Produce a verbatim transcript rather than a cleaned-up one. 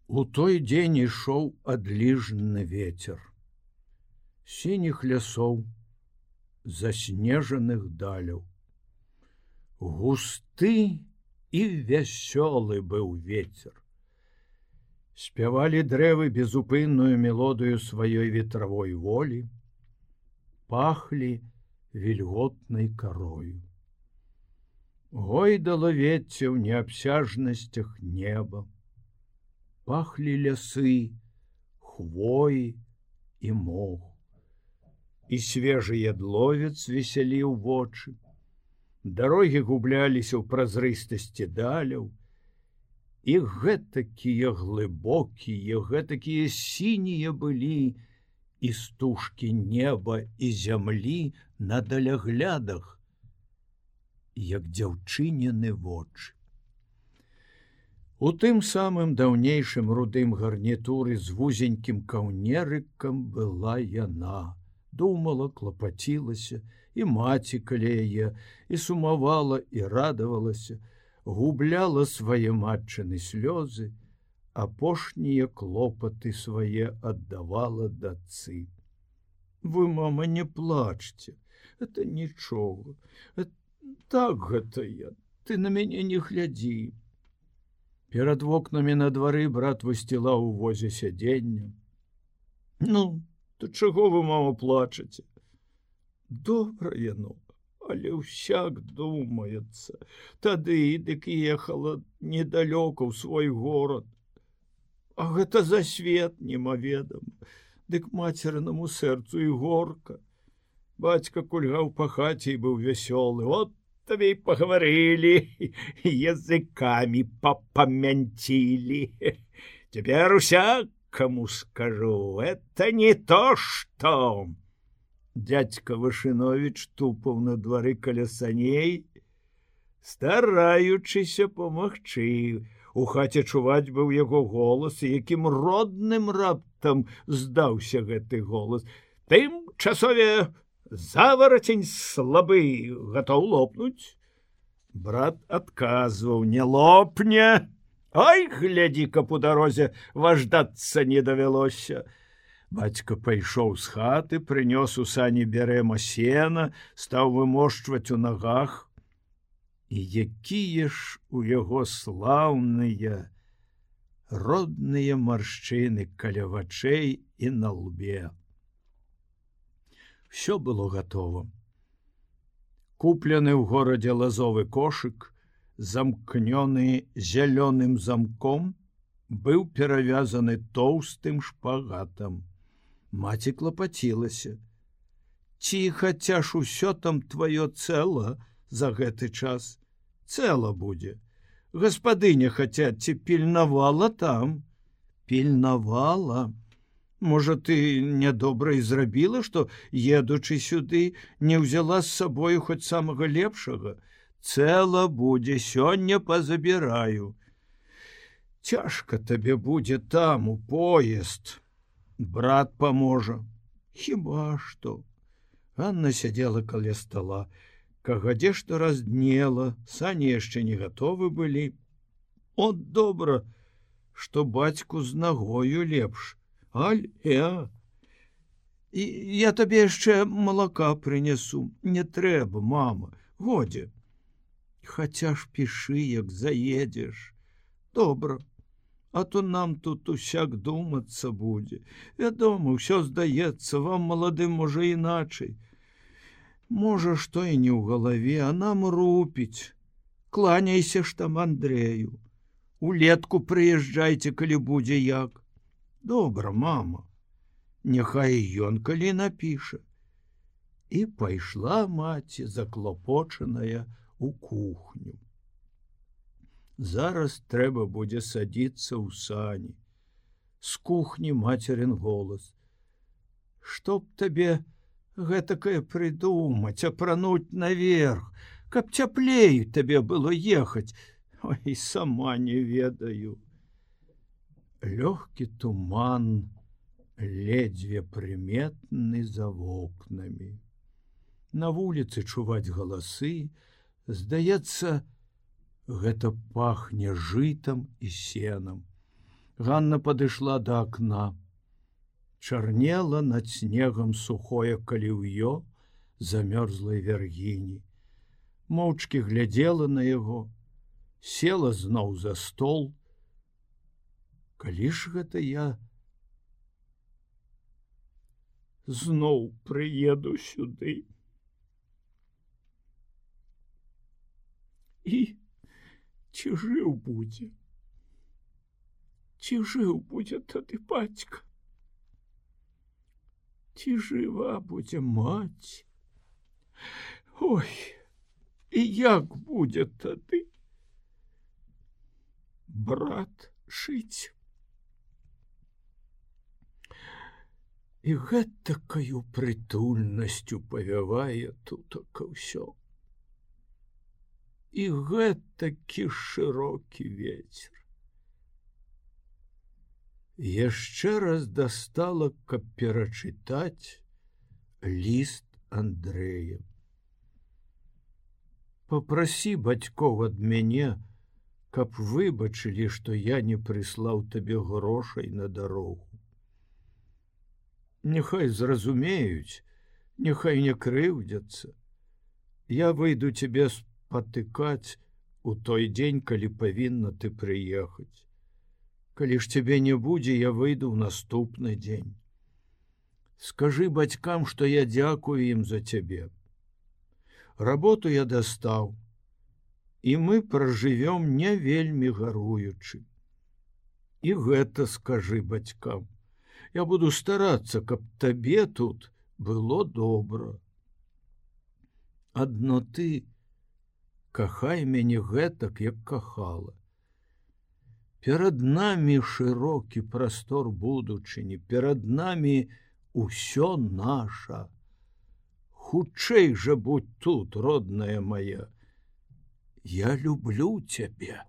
У той дзень ішоў адліжны вецер сініх лясоў, заснежаных даляў. Густы і вясёлы быў вецер. Спявалі дрэвы безупынную мелодыю сваёй ветравой волі, пахлі вільготнай карою. Гойдала вецце ў неабсяжнасцях неба, пахлі лясы, хвоі і мох. І свежы ядловец весяліў вочы. Дарогі губляліся ў празрыстасці даляў, і гэтакія глыбокія, гэтакія сінія былі і стужкі неба і зямлі на даляглядах, як дзяўчыніны вочы. У тым самым даўнейшым рудым гарнітуры з вузенькім каўнерыкам была яна. Думала, клапацілася, і маці каля яе, і сумавала, і радавалася, губляла свае матчыны слёзы, апошнія клопаты свае аддавала дачцы. Вы, мама, не плачце, это нічога, так гэта я, ты на мяне не глядзі. Перад вокнамі на двары брат высцілаў у возе сядзенне. Ну, то чаго вы, мама, плачаце? Добра яно, але ўсяк думаецца. Тады дык ехала недалёка ў свой горад. А гэта за свет немаведам. Дык мацернаму сэрцу і горка. Бацька кульгаў па хаце і быў вясёлы. От табе і пагаварылі, языкамі папамянцілі. Цяпер усякаму скажу, это не то, што... Дядька Вашыновіч тупаў на двары каля саней, стараючыся памагчы. У хаце чуваць быў яго голас, якім родным раптам здаўся гэты голас. Тым часове заварацень слабы, гатоў лопнуць. Брат адказваў, не лопне. Ой, глядзі-ка по дарозе важдацца не давялося. Бацька пайшоў з хаты, прынёс у сані бярэма сена, стаў вымошчваць у нагах. І якія ж у яго слаўныя, родныя маршчыны каля вачэй і на лбе. Всё было гатова. Куплены ў горадзе лазовы кошык, замкнёны зялёным замком, быў перавязаны тоўстым шпагатам. Маці клапацілася. Ці хаця ж усё там тваё цэла за гэты час? Цэла будзе. Гаспадыня хаця ці пільнавала там? Пільнавала. Можа, ты нядобра і зрабіла, што, едучы сюды, не ўзяла з сабою хоць самага лепшага? Цэла будзе, сёння пазабіраю. Цяжка табе будзе там, у поезд. Брат паможа. Хіба што? Анна сядзела каля стала. Кагадзе што разднела, сані яшчэ не гатовы былі. От добра, што бацьку з нагою лепш. Аль, я... І я табе яшчэ малака прынясу. Не трэба, мама, годзе. Хаця ж пішы, як заедзеш. Добра. А то нам тут усяк думацца будзе. Вядома, ўсё здаецца, вам, маладым, можа, іначай. Можа, што і не ў галаве, а нам рупіць. Кланяйся ж там Андрэю. Улетку прыязджайце, калі будзе як. Добра, мама. Няхай ён калі напіша. І пайшла маці, заклопочаная, у кухню. Зараз трэба будзе садіцца ў сані. З кухні мацерын голас. Што б табе гэтакае прыдумаць, апрануць наверх, каб цяплей табе было ехаць. Ой, сама не ведаю. Лёгкі туман, ледзьве прыметны за вокнамі. На вуліцы чуваць галасы, здаецца, гэта пахне жытам і сенам. Ганна падышла да акна. Чарнела над снегам сухое каліўё замёрзлай вяргіні. Моўчкі глядзела на яго, села зноў за стол. Калі ж гэта я зноў прыеду сюды? І ці жыў будзе? Ці жыў будзе тады бацька? Ці жыва будзе маці? Ой, і як будзе тады брат жыць? І гэтакаю прытульнасцю павявае тутака ўсё. І гэтакі шырокі вецер. Яшчэ раз дастала, каб перачытаць ліст Андрэя. Папрасі бацькоў ад мяне, каб выбачылі, што я не прыслаў табе грошай на дарогу. Няхай зразумеюць, няхай не крыўдзяцца. Я выйду цябе спатыкаць у той дзень, калі павінна ты прыехаць. Калі ж цябе не будзе, я выйду ў наступны дзень. Скажы бацькам, што я дзякую ім за цябе. Работу я дастаў, і мы пражывём не вельмі гаруючы. І гэта скажы бацькам. Я буду старацца, каб табе тут было добра. Адно ты кахай мяне гэтак, як кахала. Перад намі шырокі прастор будучыні, перад намі усё наша. Хутчэй жа будь тут, родная моя. Я люблю цябе.